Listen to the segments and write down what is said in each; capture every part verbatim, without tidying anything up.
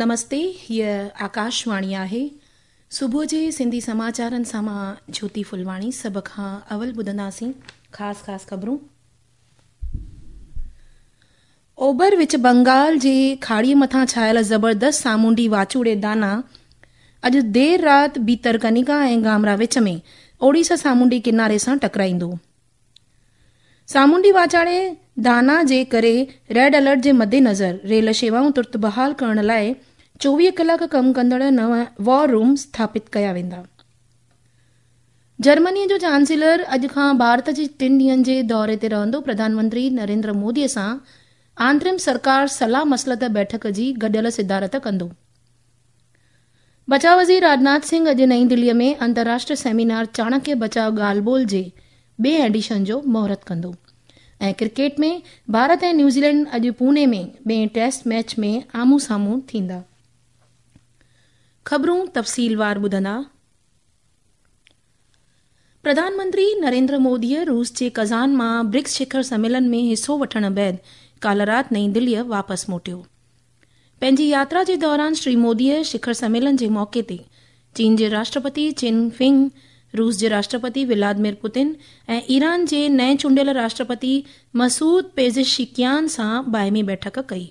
نمستي، هيء آڪاشواڻي آهي. صبح جي سنڌي سماچارن سان مان جيوتي ڦلواڻي. سڀ کان اول ٻڌنداسين خاص خاص خبرون. اوڀر وچ بنگال جي کاڙيء مٿان ڇانيل زبردست سامونڊي واچوڙي دانا اڄ دير رات ڀيترڪنيڪا ۽ گامرا وچ ۾ اوڙيسا سامونڊي ڪناري سان ٽڪرائيندو. سامونڊي واچاڙي دانا جي ڪري ريڊ الرٽ جي مدنظر ريل شيوائون ترت بحال ڪرڻ لاء چوويهه ڪلاڪ ڪم ڪندڙ نو وار روم اسٿاپت ڪيا ويندا. جرمني جو چانسيلر اڄ کان ڀارت جي ٽن ڏينهن جي دوري تي رهندو. پرڌان منتري نريندر مودي سان آنترم سرڪار صلاح مصلحت بيٺڪ جي گڏيل صدارت ڪندو. بچاء وزير راجناٿ سنگهه اڄ نئين دليء ۾ انترراشٽريه سيمينار چاڻڪيه بچاء ڳالهه ٻولهه جي ٻئي ايڊيشن جو مهورت ڪندو. ۽ ڪرڪيٽ ۾ ڀارت ۽ نيوزيلينڊ اڄ پوني ۾ ٻئين ٽيسٽ ميچ ۾ آمهون سامهون ٿيندا. خبرون تفصيلوار ٻڌندا. پرڌان منتري نريندر موديء روس جي ڪزان مان برڪس شکر سميلن ۾ حصو وٺڻ بعد ڪالهه رات نئين دليء واپس موٽيو. پنهنجي ياترا جي دوران شري موديء شکر سميلن جي موقعي تي چين جي راشٽرپتي چن فنگ، روس جي راشٽرپتي ولادمير پوتن ۽ ايران جي نئين چونڊيل راشٽرپتي مسعود پيزشڪيان سان باهمي بيٺڪ ڪئي.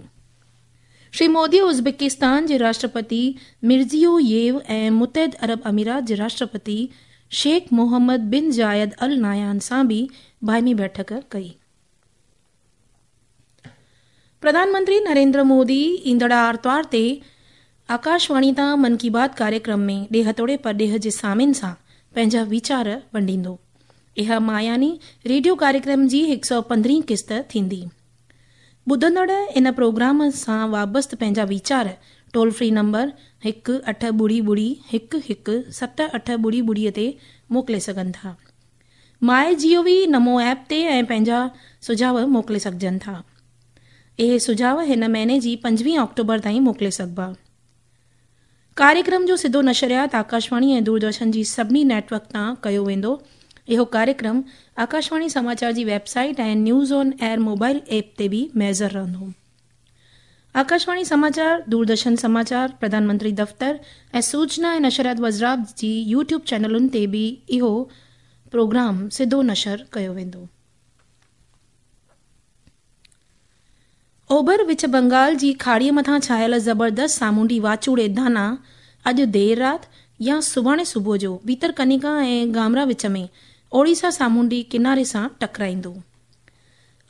شري موديء ازبڪستان جي راشٽرپتي مرزيوييو ۽ متحده عرب امارات جي راشٽرپتي شيخ محمد بن زايد ال نهيان سان به باهمي بيٺڪ ڪئي. پرڌان منتري نريندر مودي ايندڙ آرتوار تي آڪاشواڻي تان من ڪي بات ڪاريڪرم ۾ ڏيهه توڙي پرڏيهه جي سامعين سان پنهنجا ويچار ونڊيندو. اها ماهياني ريڊيو ڪاريڪرم جي هڪ سؤ پندرهين قسط ٿيندي. ٻڌندڙ ان پروگرام سان وابسته پنهنجا ويچار ٽول فري نمبر هڪ اٺ ٻڙي ٻڙي هڪ هڪ ست اٺ ٻڙي ٻڙي تي موڪلي سگهن ٿا. مائي جي او وي نمو ايپ تي ۽ پنهنجا سجهاء موڪلي سگهجن ٿا. اهي سجهاء هن مهيني جي پنجويهه آڪٽوبر تائين موڪلي سگهبا. ڪاريڪرم جو سڌو نشريات آڪاشواڻي ۽ دوردرشن جي سڀني نيٽ ورڪ تان ڪيو ويندو. اهو ڪاريڪرم آڪاشواڻي سماچار جي web site ۽ news on air mobile app تي به ميسر رهندو. آڪاشواڻي سماچار، دوردرشن سماچار، پرڌان منتري دفتر ۽ سوچنا ۽ نشريات وزارت جي يوٽيوب چينلن تي به اهو پروگرام سڌو نشر ڪيو ويندو. اوڀر وچ بنگال جي کاڙيء مٿان ڇانيل زبردست سامونڊي واچوڙي دانا اڄ دير رات يا سڀاڻي صبح جو ڀيترڪنيڪا ۽ گامرا وچ ۾ اوڙيسا سامونڊي ڪناري سان ٽڪرائيندو.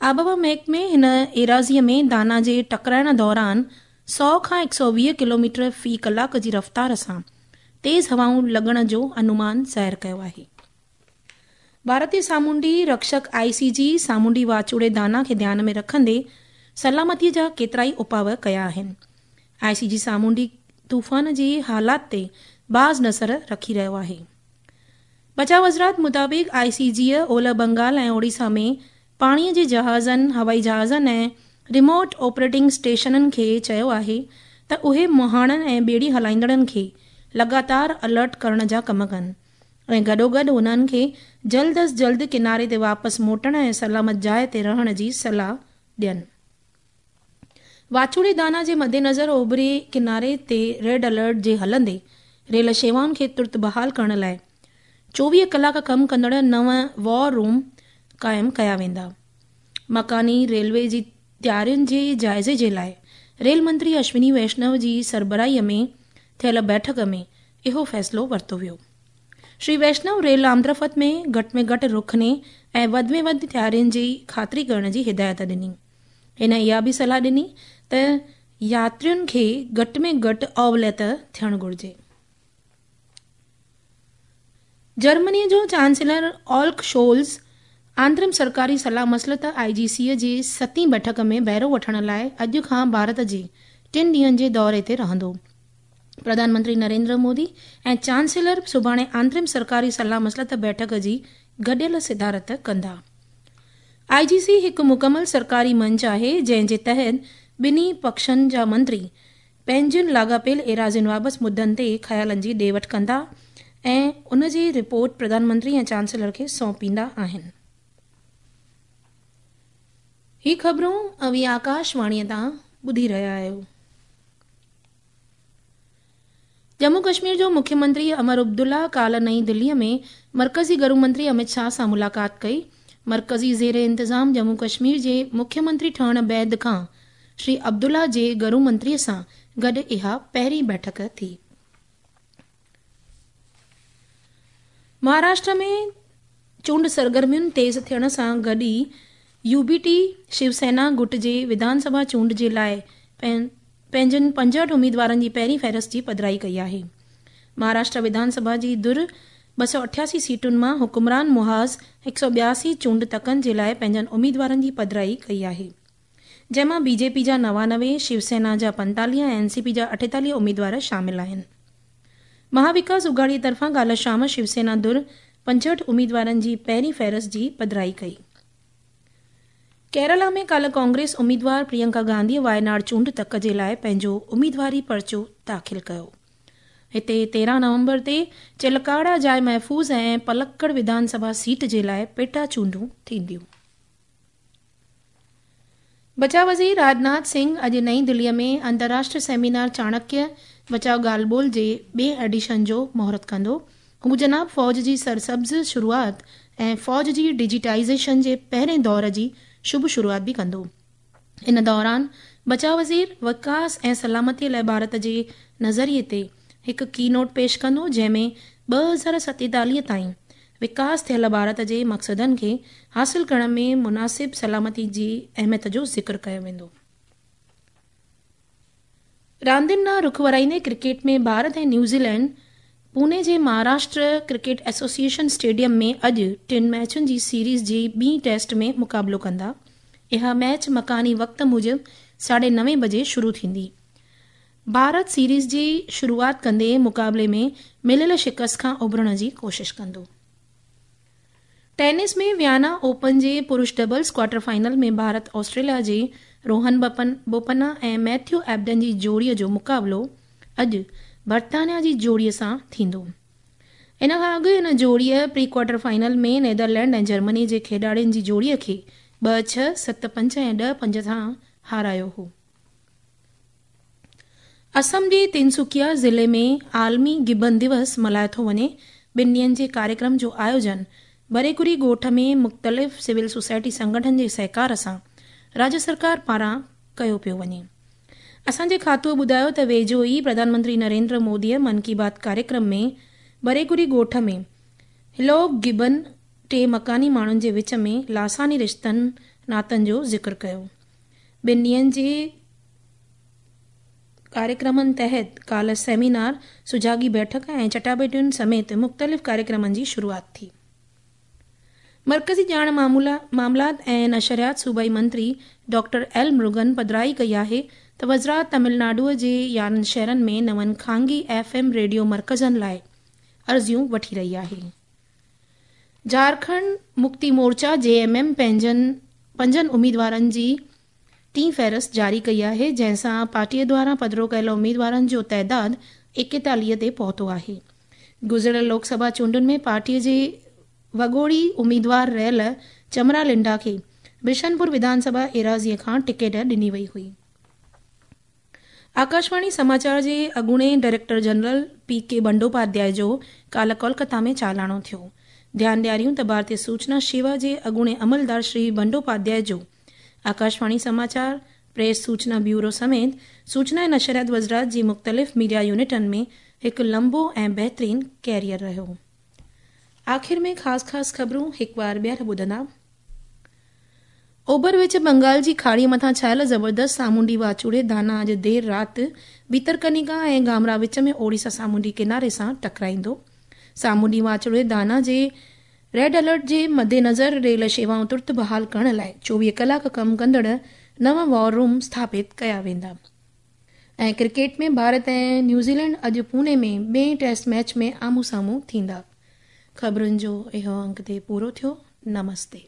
آبهوا محڪمي هن ايراضيء ۾ دانا جي ٽڪرائڻ دوران سؤ کان هڪ سؤ ويهه ڪلوميٽر في ڪلاڪ جي رفتار سان تيز هوائون لڳڻ جو انومان ظاهر ڪيو آهي. ڀارتي سامونڊي رڪشڪ آء سي جي سامونڊي واچوڙي دانا کي ڌيان ۾ رکندي سلامتيء جا ڪيترائي اپاء ڪيا آهن. آء سي جي سامونڊي طوفان جي حالات تي باز نظر رکي رهيو آهي. بچاء وزارت مطابق آء سي جيء اولهه بنگال ۽ اوڙيسا ۾ پاڻيء جي جهازن، هوائي جهازن ۽ ريموٽ آپريٽنگ اسٽيشنن کي چيو آهي ته اهي مهاڻن ۽ ٻيڙي هلائيندڙن کي لڳاتار الرٽ ڪرڻ جا ڪم ڪن ۽ گڏوگڏ انهن کي جلد از جلد ڪناري تي واپس موٽڻ ۽ سلامت جاء تي رهڻ جي صلاح ڏين. واچوڙي دانا جي مدنظر اوڀري ڪناري تي ريڊ الرٽ جي هلندي ريل شيوائن کي ترت بحال ڪرڻ لاء چوويهه ڪلاڪ ڪم ڪندڙ نو وار روم قائم ڪيا ويندا. مڪاني ريلوي جي تيارين جي جائزي جي لاء ريل منتري اشوني ويشنو جي سربراهيء ۾ ٿيل بيٺڪ ۾ اهو فيصلو ورتو ويو. شري ويشنو ريل آمدرفت ۾ گهٽ ۾ گهٽ رخني ۽ وڌ ۾ وڌ تيارين جي خاطري ڪرڻ جي هدايت ڏني. هن اها به صلاح ڏني ته ياترين کي گهٽ ۾ گهٽ اوليت ٿيڻ گهرجي. جرمنيء جو چانسيلر اولف شولز آنترم سرڪاري صلاح مصلحت آء جي سيء جي ستين بيٺڪ ۾ بهرو وٺڻ لاء اڄ کان ڀارت جي ٽن ڏينهن جي دوري تي رهندو. پرڌان منتري نريندر مودي ۽ چانسيلر سڀاڻي آنترم سرڪاري صلاح مصلحت بيٺڪ جي گڏيل صدارت ڪندا. آء جي سي هڪ مڪمل سرڪاري منچ آهي جنهن جي تحت ٻنهي پکشن جا منتري پنهنجن لاڳاپيل ايراضين بابت مدعن تي خيالن جي ڏي وٺ ڪندا ۽ ان جي رپورٽ پرڌان منتري ۽ چانسيلر کي سونپيندا آهن. هي خبرون اوهين آڪاشواڻيء تان ٻڌي رهيا آهيو. ڄمون ڪشمير جو مکيه منتري امر عبدالله ڪالهه نئين دليءَ ۾ مرڪزي گهرو منتري امت شاهه سان ملاقات ڪئي. مرڪزي زير انتظام ڄمون ڪشمير جي مکيه منتري ٺهڻ بعد کان شري عبدالله جي گهرو منتريءَ سان گڏ اها پهرين بيٺڪ ٿي. مهاراشٽر ۾ چونڊ سرگرمين تيز ٿيڻ سان گڏ ئي يو بي ٽي شيوسينا گٽ جي وڌان سڀا چونڊ جي لاءِ پنهنجن پنجهٺ اميدوارن جي پهرين فهرست جي پڌرائي ڪئي آهي. مهاراشٽر وڌان سڀا جي ڌر ٻه سؤ اٺاسي سيٽن مان حڪمران محاذ هڪ سؤ ٻياسي چونڊ تڪن جي لاءِ پنهنجن اميدوارن جي پڌرائي ڪئي آهي، جنهن مان بي جي پي جا نوانوي، شيوسينا جا پنتاليهه ۽ اين سي پي جا اٺيتاليهه اميدوار شامل آهن. مهاوڪاس اگهاڙي طرفان ڪالهه شام شيوسينا ڌر پنجهٺ اميدوارن جي پهرين فهرست جي پڌرائي ڪئي. ڪيرالا ۾ ڪالهه ڪانگريس اميدوار پريانڪا گانڌي وايناڊ چونڊ تڪ جي لاءِ پنهنجو اميدواري پرچو داخل ڪيو. هتي تيرهن نومبر تي چلڪاڙا جاءِ محفوظ ۽ پلڪڙ وڌان سڀا سيٽ جي لاءِ پيٽا چونڊون ٿينديون. بچاءُ وزير راجناٿ سنگهه اڄ نئين دليءَ ۾ انترراشٽريه سيمينار چاڻڪيه بچاءُ ڳالهه ٻولهه جي ٻئي ايڊيشن جو مهورت ڪندو. هو جناب فوج جي سرسبز شروعات ۽ فوج جي ڊجيٽائيزيشن جي پهرين دور جي شڀ شروعات به ڪندو. ان دوران بچاءُ وزير وڪاس ۽ سلامتيءَ لاءِ ڀارت جي نظريي تي هڪ ڪي نوٽ پيش ڪندو، جنهن ۾ ٻه هزار ستيتاليهه تائين وڪاس ٿيل ڀارت جي مقصدن کي حاصل ڪرڻ ۾ مناسب سلامتي جي اهميت جو ذڪر ڪيو ويندو. راندين ڏانهن رخ ورائيندي ڪرڪيٽ ۾ ڀارت ۽ نيوزيلينڊ پوني جي مهاراشٽر ڪرڪيٽ ايسوسيئيشن اسٽيڊيم ۾ اڄ ٽن ميچن جي سيريز جي ٻي ٽيسٽ ۾ مقابلو ڪندا. اها ميچ مڪاني وقت موجب ساڍي نوين بجي شروع ٿيندي. ڀارت سيريز جي شروعات ڪندي مقابلي ۾ مليل شڪست کان اڀرڻ جي ڪوشش ڪندو. ٽينس ۾ ويانا اوپن جي پرش doubles quarter final ۾ Bharat Australia جي روهن بوپنا ۽ ميٿيو ايبڊن جي جوڙيءَ جو مقابلو اڄ برطانيا جي جوڙيءَ سان ٿيندو. ان کان اڳ هن جوڙيءَ pre quarter final ۾ Netherland ۽ Germany جي کيڏاڙين جي جوڙيءَ کي ٻه ڇهه، ست پنج ۽ ڏهه پنج سان هارايو هو. اسم جي تنسڪيا ضلعي ۾ عالمي گبن دوس ملهايو ٿو وڃي. ٻن ڏينهن جي ڪاريڪرم جو آيوجن بريڪوري ڳوٺ ۾ مختلف سول سوسائٽي سنگٺن جي سهڪار سان راجيه سرڪار پاران ڪيو پيو وڃي. اسان جي کاتوءَ ٻڌايو ته ويجهو ئي پرڌان منتري نريندر موديءَ من ڪي بات ڪاريڪرم ۾ بريڪوري ڳوٺ ۾ هلوڪ گبن ٽي مڪاني ماڻهن جي وچ ۾ لاثاني رشتن ناتن جو ذڪر ڪيو. ٻن ڏينهن جي ڪاريڪرمن تحت ڪالهه سيمينار، سجاڳي بيٺڪ ۽ چٽاڀيٽين سميت مختلف ڪاريڪرمن جي شروعات ٿي. مرڪزي ڄاڻ معاملات ۽ نشريات صوبائي منتري ڊاڪٽر ايل مرگن پڌرائي ڪئي آهي ته وزارت تامل ناڊوءَ جي يارهن شهرن ۾ نون خانگي ايف ايم ريڊيو مرڪزن لاءِ عرضيون وٺي رهي آهي. جهارکنڊ مڪتي مورچا جي ايم ايم پنهنجن پنجن اميدوارن جي ٽين فهرست جاري ڪئي آهي، جنهن سان پارٽيءَ دواران پڌرو ڪيل اميدوارن جو تعداد ايڪيتاليهه تي پهتو آهي. گذريل لوڪ سڀا چونڊن ۾ پارٽيءَ جي وڳوڙي اميدوار رهيل چمرا لنڊا کي بشنپور وڌان سڀا ايراضيءَ کان ٽڪيٽ ڏني وئي هئي. آڪاشواڻي سماچار جي اڳوڻي ڊائريڪٽر جنرل پي ڪي بنڊوپاڌياءِ جو ڪالهه ڪولڪتا ۾ چالاڻو ٿيو. ڌيان ڏياريون ته ڀارتيه سوچنا شيوا جي اڳوڻي عملدار شري بنڊوپاڌياءِ جو آڪاشواڻي سماچار، پريس سوچنا بيورو سميت سوچنا ۽ نشريات وزارت جي مختلف ميڊيا يونٽن ۾ هڪ لمبو ۽ بهترين ڪيريئر رهيو. آخر ۾ خاص خاص خبرون هڪ بار ٻيهر ٻڌندا. اوڀر وچ بنگال جي کاڙيءَ مٿان ڇايل زبردست سامونڊي واچوڙي دانا اڄ دير رات ڀيترڪنيڪا ۽ گامرا وچ ۾ اوڙيسا سامونڊي ڪناري سان ٽڪرائيندو. سامونڊي واچوڙي دانا جي ريڊ الرٽ جي مدنظر ريل شيوائون ترت بحال ڪرڻ لاءِ چوويهه ڪلاڪ ڪم ڪندڙ نو وار روم اسٿاپت ڪيا ويندا. ۽ ڪرڪيٽ ۾ ڀارت ۽ نيوزيلينڊ اڄ پوني ۾ ٻئي ٽيسٽ ميچ ۾ آمهون سامهون ٿيندا. خبرن جو اهو انگ تي پورو ٿيو. نمستي.